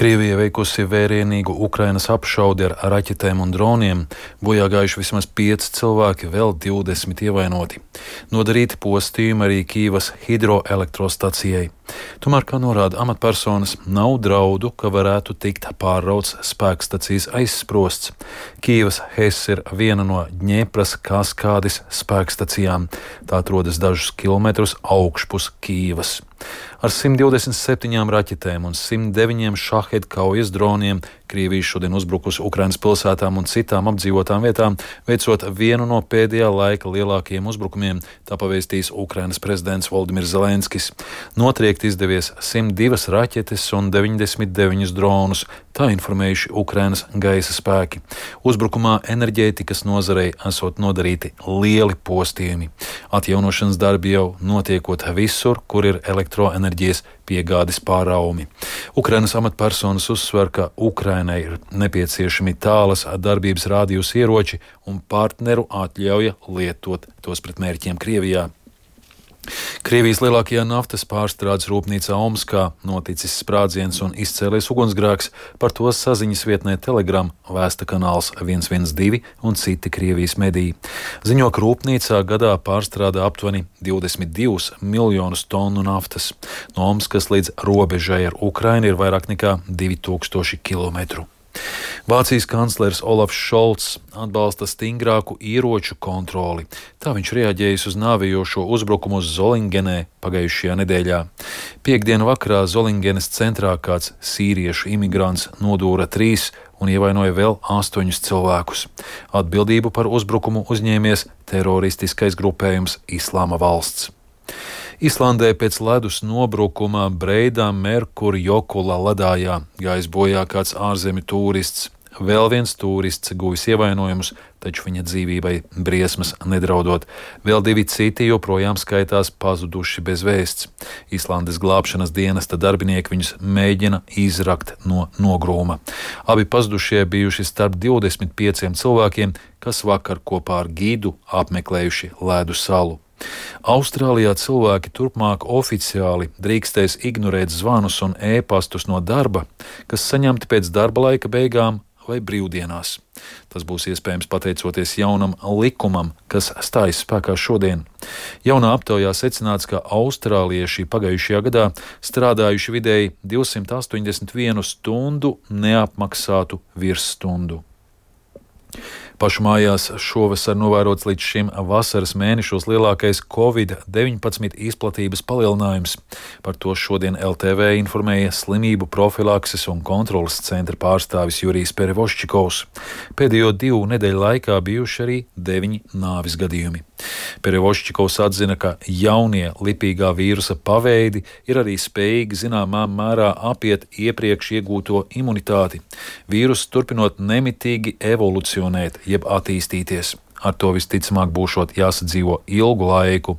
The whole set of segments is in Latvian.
Krievija veikusi vērienīgu Ukrainas apšaudi ar raķetēm un droniem, bojā gājuši vismaz 5 cilvēki, vēl 20 ievainoti. Nodarīti postījumi arī Kīivas hidroelektrostacijai. Tomēr, kā norāda amatpersonas, nav draudu, ka varētu tikt pārrauts spēkstacijas aizsprosts. Kīivas HES ir viena no Dņepras kaskādes spēkstacijām. Tā atrodas dažus kilometrus augšpus Kīivas. Ar 127 raķetēm un 109 šaheda kaujas droniem Krievija šodien uzbrukusi Ukrainas pilsētām un citām apdzīvotām vietām, veicot vienu no pēdējā laika lielākajiem uzbrukumiem, tā pavēstījis Ukrainas prezidents Voldimirs Zelenskis. Notriekt izdevies 102 raķetes un 99 dronus, tā informējuši Ukrainas gaisa spēki. Uzbrukumā enerģētikas nozarei esot nodarīti lieli postījumi. Atjaunošanas darbi jau notiekot visur, kur ir elektroenerģijas piegādes pārraumi. Ukrainas amatpersonas uzsver, ka Ukrainai ir nepieciešami tālas darbības rādījus ieroči un partneru atļauja lietot tos pret mērķiem Krievijā. Krievijas lielākajā naftas pārstrādes rūpnīcā Omskā noticis sprādziens un izcēlies ugunsgrēks, par to saziņas vietnē Telegram vēsta kanāls 112 un citi Krievijas mediji. Ziņo, ka rūpnīcā gadā pārstrādā aptuveni 22 miljonus tonu naftas. No Omskas līdz robežai ar Ukrainu ir vairāk nekā 2000 kilometru. Vācijas kanclers Olafs Šolts atbalsta stingrāku ieroču kontroli. Tā viņš reaģējis uz nāvējošo uzbrukumu uz Zolingenē pagājušajā nedēļā. Piektdienu vakarā Zolingenes centrā kāds sīriešu imigrants nodūra 3 un ievainoja vēl 8 cilvēkus. Atbildību par uzbrukumu uzņēmies teroristiskais grupējums Islāma valsts. Islandē pēc ledus nobrukuma Breidā Merkur Jokula ledājā gājis bojā kāds ārzemju tūrists. Vēl viens tūrists guvis ievainojumus, taču viņa dzīvībai briesmas nedraudot. Vēl 2 citi joprojām skaitās pazuduši bez vēsts. Islandes glābšanas dienesta darbinieki viņus mēģina izrakt no nogrūma. Abi pazudušie bijuši starp 25 cilvēkiem, kas vakar kopā ar gidu apmeklējuši ledu salu. Austrālijā cilvēki turpmāk oficiāli drīkstēs ignorēt zvanus un ēpastus no darba, kas saņemti pēc darba laika beigām vai brīvdienās. Tas būs iespējams pateicoties jaunam likumam, kas stājas spēkā šodien. Jaunā aptaujā secināts, ka austrālieši pagājušajā gadā strādājuši vidēji 281 stundu neapmaksātu virsstundu. Pašu mājās šovasar novērots līdz šim vasaras mēnešos lielākais Covid-19 izplatības palielinājums. Par to šodien LTV informēja slimību profilakses un kontrolas centra pārstāvis Jurijs Perevoščikovs. Pēdējo 2 nedēļu laikā bijuši arī 9 nāvis gadījumi. Perevoščikovs atzina, ka jaunie lipīgā vīrusa paveidi ir arī spējīgi zināmā mērā apiet iepriekš iegūto imunitāti. Vīrus turpinot nemitīgi evolucionēt, jeb attīstīties. Ar to visticamāk būšot jāsadzīvo ilgu laiku.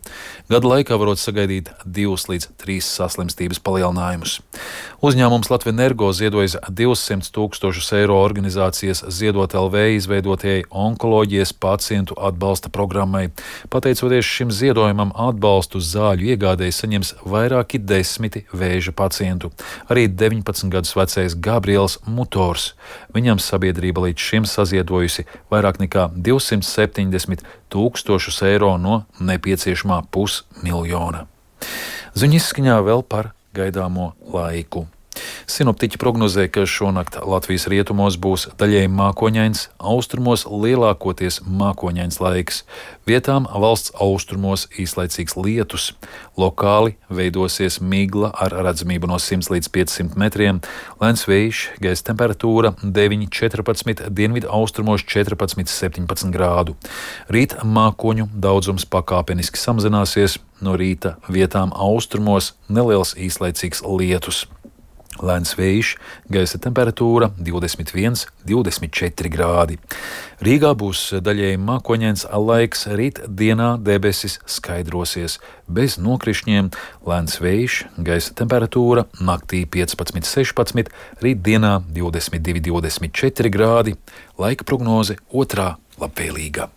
Gada laikā varot sagaidīt 2 līdz 3 saslimstības palielinājumus. Uzņēmums Latvenergo ziedojis 200 000 eiro organizācijas Ziedot LV izveidotajai onkoloģijas pacientu atbalsta programmai. Pateicoties šim ziedojumam, atbalstu zāļu iegādēji saņems vairāki 10 vēža pacientu. Arī 19 gadus vecais Gabriels Mutors. Viņam sabiedrība līdz šim saziedojusi vairāk nekā 270 000 eiro no nepieciešamā 500 000. Ziņu izskaņā vēl par gaidāmo laiku. Sinoptiķi prognozē, ka šonakt Latvijas rietumos būs daļēji mākoņains, austrumos lielākoties mākoņains laiks. Vietām valsts austrumos īslaicīgs lietus. Lokāli veidosies migla ar redzamību no 100 līdz 500 metriem. Lēns vējš, gaisa temperatūra 9–14, dienvidu austrumos 14–17 grādu. Rīt mākoņu daudzums pakāpeniski samazināsies, no rīta vietām austrumos neliels īslaicīgs lietus. Lēns vējš, gaisa temperatūra 21–24 grādi. Rīgā būs daļēji mākoņains laiks, rīt dienā debesis skaidrosies, bez nokrišņiem. Lēns vējš, gaisa temperatūra naktī 15–16, rīt dienā 22–24 grādi. Laika prognoze otrā labvēlīga.